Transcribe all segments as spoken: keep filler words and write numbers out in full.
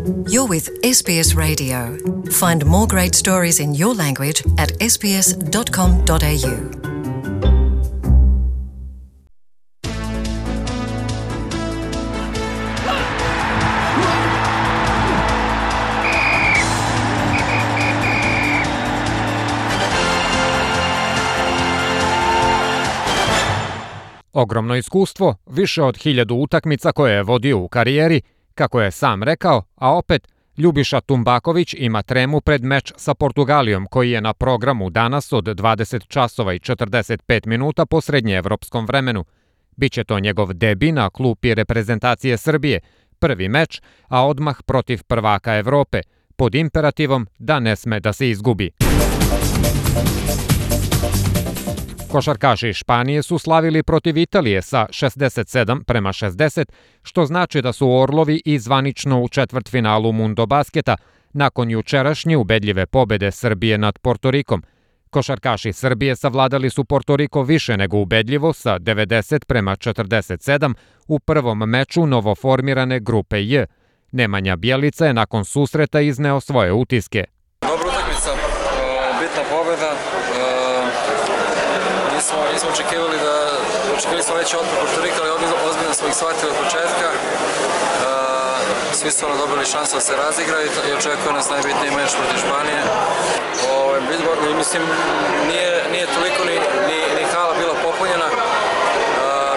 You're with S B S Radio. Find more great stories in your language at s b s dot com dot a u. Ogromno iskustvo, više od hiljadu utakmica koje je vodio u karijeri, kako je sam rekao, a opet Ljubiša Tumbaković ima tremu pred meč sa Portugalijom koji je na programu danas od dvadeset časova i četrdeset pet minuta po srednjeevropskom vremenu. Biće to njegov debi na klupi reprezentacije Srbije, prvi meč, a odmah protiv prvaka Evrope, pod imperativom da ne sme da se izgubi. Košarkaši Španije su slavili protiv Italije sa šezdeset sedam prema šezdeset, što znači da su Orlovi i zvanično u četvrtfinalu Mundo Basketa, nakon jučerašnje ubedljive pobede Srbije nad Portorikom. Košarkaši Srbije savladali su Portoriko više nego ubedljivo sa devedeset prema četrdeset sedam u prvom meču novoformirane grupe J. Nemanja Bjelica je nakon susreta izneo svoje utiske. Dobra utakmica, bitna pobeda. Nismo, nismo očekivali da, očekivali smo veći otpor Portorika, ali ozbiljno smo ih shvatili od početka. Svi su ono dobili šansu da se razigraju i očekuje nas najbitniji meč protiv Španije. O, mislim, nije, nije toliko ni, ni, ni hala bila popunjena,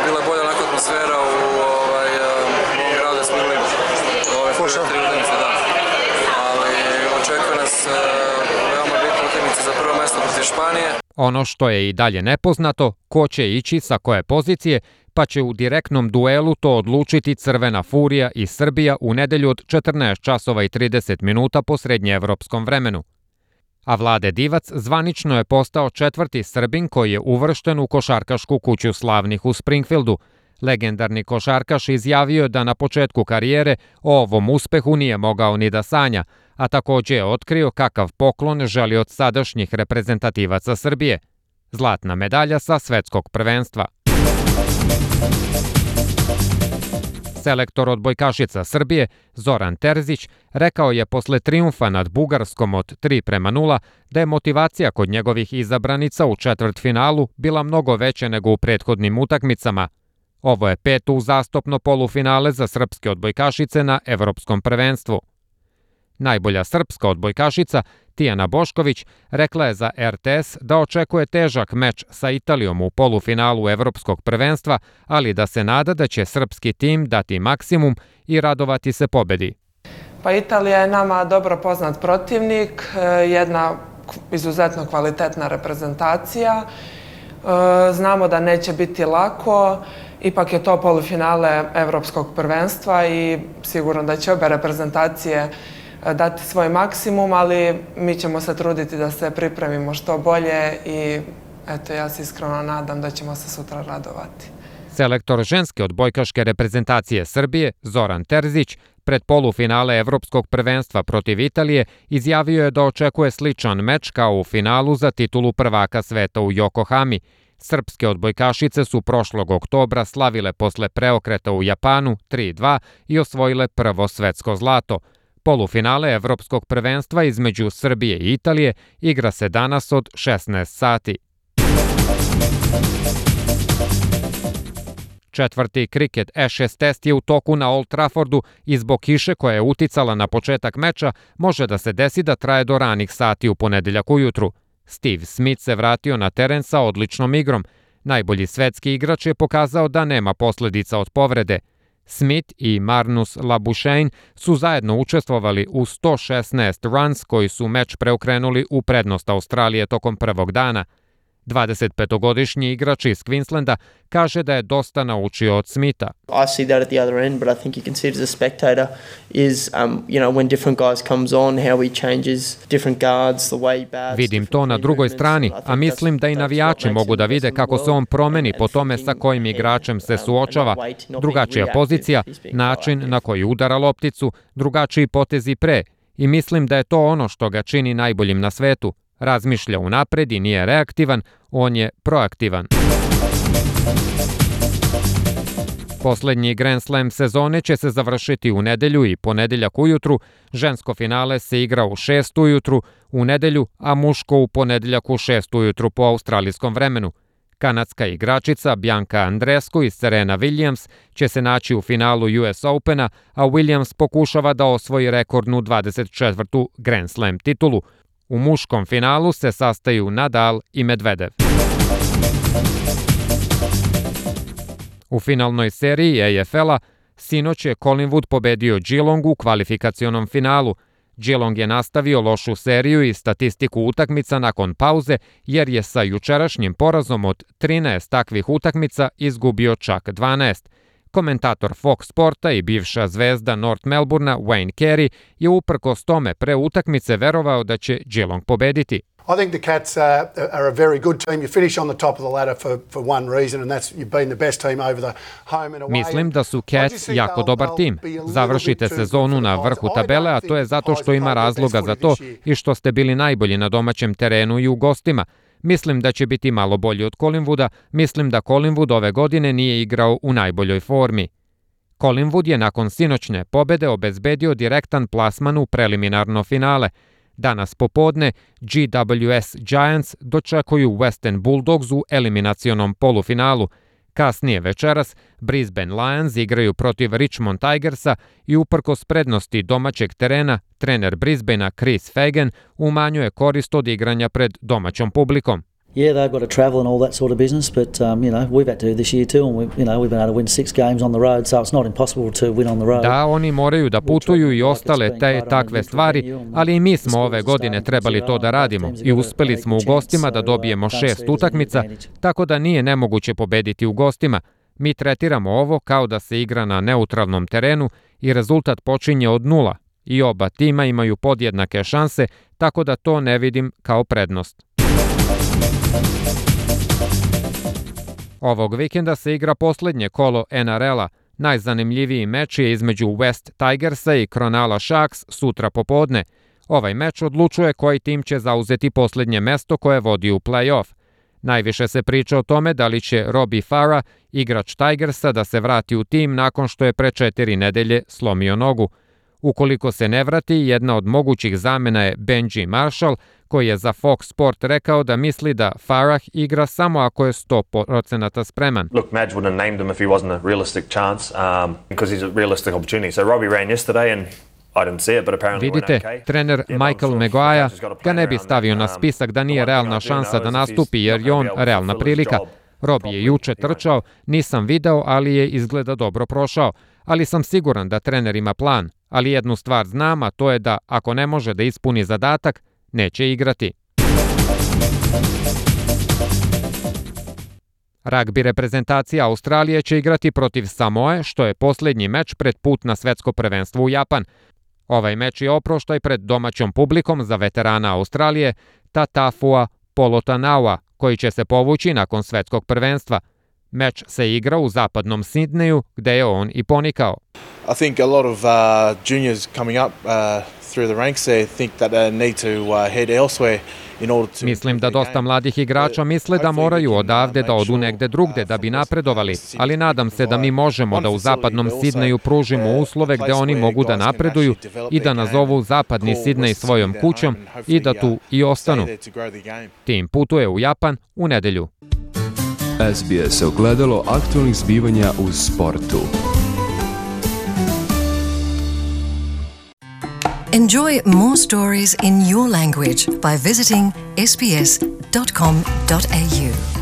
bila je bolja onako atmosfera u ovaj, ovom gradu da smo imali ove prve tri utakmice, da. Ali očekuje nas veoma bitna utakmica za prvo mesto protiv Španije. Ono što je i dalje nepoznato, ko će ići sa koje pozicije, pa će u direktnom duelu to odlučiti Crvena Furija i Srbija u nedelju od četrnaest časova i trideset minuta po srednjeevropskom vremenu. A Vlade Divac zvanično je postao četvrti Srbin koji je uvršten u košarkašku kuću slavnih u Springfieldu. Legendarni košarkaš izjavio je da na početku karijere o ovom uspehu nije mogao ni da sanja, a također je otkrio kakav poklon želi od sadašnjih reprezentativaca Srbije. Zlatna medalja sa svetskog prvenstva. Selektor odbojkašica Srbije, Zoran Terzić, rekao je posle trijumfa nad Bugarskom od tri prema nula da je motivacija kod njegovih izabranica u četvrtfinalu bila mnogo veća nego u prethodnim utakmicama. Ovo je peto uzastopno polufinale za srpske odbojkašice na Evropskom prvenstvu. Najbolja srpska odbojkašica, Tijana Bošković, rekla je za R T S da očekuje težak meč sa Italijom u polufinalu Evropskog prvenstva, ali da se nada da će srpski tim dati maksimum i radovati se pobedi. Pa Italija je nama dobro poznat protivnik, jedna izuzetno kvalitetna reprezentacija. Znamo da neće biti lako, ipak je to polufinale Evropskog prvenstva i sigurno da će obe reprezentacije dati svoj maksimum, ali mi ćemo se truditi da se pripremimo što bolje i eto, ja se iskreno nadam da ćemo se sutra radovati. Selektor ženske odbojkaške reprezentacije Srbije, Zoran Terzić, pred polufinale Evropskog prvenstva protiv Italije izjavio je da očekuje sličan meč kao u finalu za titulu prvaka sveta u Yokohami. Srpske odbojkašice su prošlog oktobra slavile posle preokreta u Japanu tri dva i osvojile prvo svetsko zlato. Polufinale Evropskog prvenstva između Srbije i Italije igra se danas od šesnaest sati. Četvrti kriket Ashes test je u toku na Old Traffordu i zbog kiše koja je uticala na početak meča može da se desi da traje do ranih sati u ponedeljak ujutru. Steve Smith se vratio na teren sa odličnom igrom. Najbolji svetski igrač je pokazao da nema posledica od povrede. Smith i Marnus Labuschagne su zajedno učestvovali u sto šesnaest runs koji su meč preokrenuli u prednost Australije tokom prvog dana. dvadesetpetogodišnji igrač iz Queenslanda kaže da je dosta naučio od Smitha. I see that at the other end, but I think you can see it as a spectator is um, you know, when different guys comes on, how he changes different guards, the way he bats. Vidim to na drugoj strani, a mislim da i navijači mogu da vide kako se on promeni po tome sa kojim igračem se suočava. Drugačija pozicija, način na koji udara lopticu, drugačiji potezi pre. I mislim da je to ono što ga čini najboljim na svetu. Razmišlja unapred i nije reaktivan, on je proaktivan. Poslednji Grand Slam sezone će se završiti u nedelju i ponedeljak ujutru, žensko finale se igra u šest ujutru u nedelju, a muško u ponedeljak u šest ujutru po australijskom vremenu. Kanadska igračica Bianca Andreescu i Serena Williams će se naći u finalu U S Opena, a Williams pokušava da osvoji rekordnu dvadeset četvrtu Grand Slam titulu. U muškom finalu se sastaju Nadal i Medvedev. U finalnoj seriji A F L-a sinoć je Collingwood pobedio Geelong u kvalifikacionom finalu. Geelong je nastavio lošu seriju i statistiku utakmica nakon pauze, jer je sa jučerašnjim porazom od trinaest takvih utakmica izgubio čak dvanaest. Komentator Fox Sporta i bivša zvezda North Melbournea Wayne Carey je uprkos tome pre utakmice verovao da će Geelong pobediti. I think the Cats uh, are a very good team. You finish on the top of the ladder for, for one reason, and that's you've been the best team over the home and away. Mislim da su Cats jako dobar tim. Završite sezonu na vrhu tabele, a to je zato što ima razloga za to i što ste bili najbolji na domaćem terenu i u gostima. Mislim da će biti malo bolji od Collingwooda. Mislim da Collingwood ove godine nije igrao u najboljoj formi. Collingwood je nakon sinoćne pobede obezbedio direktan plasman u preliminarno finale. Danas popodne G W S Giants dočekuju Western Bulldogs u eliminacionom polufinalu. Kasnije večeras Brisbane Lions igraju protiv Richmond Tigersa i uprkos prednosti domaćeg terena, trener Brisbanea Chris Fagan umanjuje korist od igranja pred domaćom publikom. Yeah, they've got to travel and all that sort of business, but um, you know, we've had to this year too, and we, you know, we've been able to win six games on the road, so it's not impossible to win on the road. Da, oni moraju da putuju i ostale te takve stvari, ali i mi smo ove godine trebali to da radimo i uspeli smo u gostima da dobijemo šest utakmica, tako da nije nemoguće pobediti u gostima. Mi tretiramo ovo kao da se igra na neutralnom terenu i rezultat počinje od nula i oba tima imaju podjednake šanse, tako da to ne vidim kao prednost. Ovog vikenda se igra poslednje kolo N R L-a. Najzanimljiviji meč je između West Tigersa i Cronulla Sharks sutra popodne. Ovaj meč odlučuje koji tim će zauzeti poslednje mesto koje vodi u play-off. Najviše se priča o tome da li će Robbie Farah, igrač Tigersa, da se vrati u tim nakon što je pre četiri nedelje slomio nogu. Ukoliko se ne vrati, jedna od mogućih zamena je Benji Marshall, koji je za Fox Sport rekao da misli da Farah igra samo ako je sto posto spreman. Look, Madge wouldn't have named him if he wasn't a realistic chance, um, because he's a realistic opportunity. So Robbie ran yesterday and I didn't see it, but apparently Vidite, trener Michael Maguire ga ne bi stavio na spisak da nije realna šansa da nastupi jer je on realna prilika. Robbie je juče trčao, nisam video, ali je izgleda dobro prošao. Ali sam siguran da trener ima plan. Ali jednu stvar znam, a to je da ako ne može da ispuni zadatak, neće igrati. Ragbi reprezentacija Australije će igrati protiv Samoe, što je posljednji meč pred put na svetsko prvenstvo u Japan. Ovaj meč je oproštaj pred domaćom publikom za veterana Australije Tatafua Polotanaua, koji će se povući nakon svetskog prvenstva. Meč se igra u zapadnom Sidneju, gde je on i ponikao. I think a lot of uh, juniors coming up uh, through the ranks there think that they need to uh, head elsewhere in order to. Mislim da dosta mladih igrača misle da moraju odavde da odu negde drugde da bi napredovali, ali nadam se da mi možemo da u zapadnom Sidneju pružimo uslove gde oni mogu da napreduju i da nazovu zapadni Sidnej svojom kućom i da tu i ostanu. Tim putuje u Japan u nedelju. S B S ogledalo aktualnih zbivanja u sportu. Enjoy more stories in your language by visiting s b s dot com dot a u.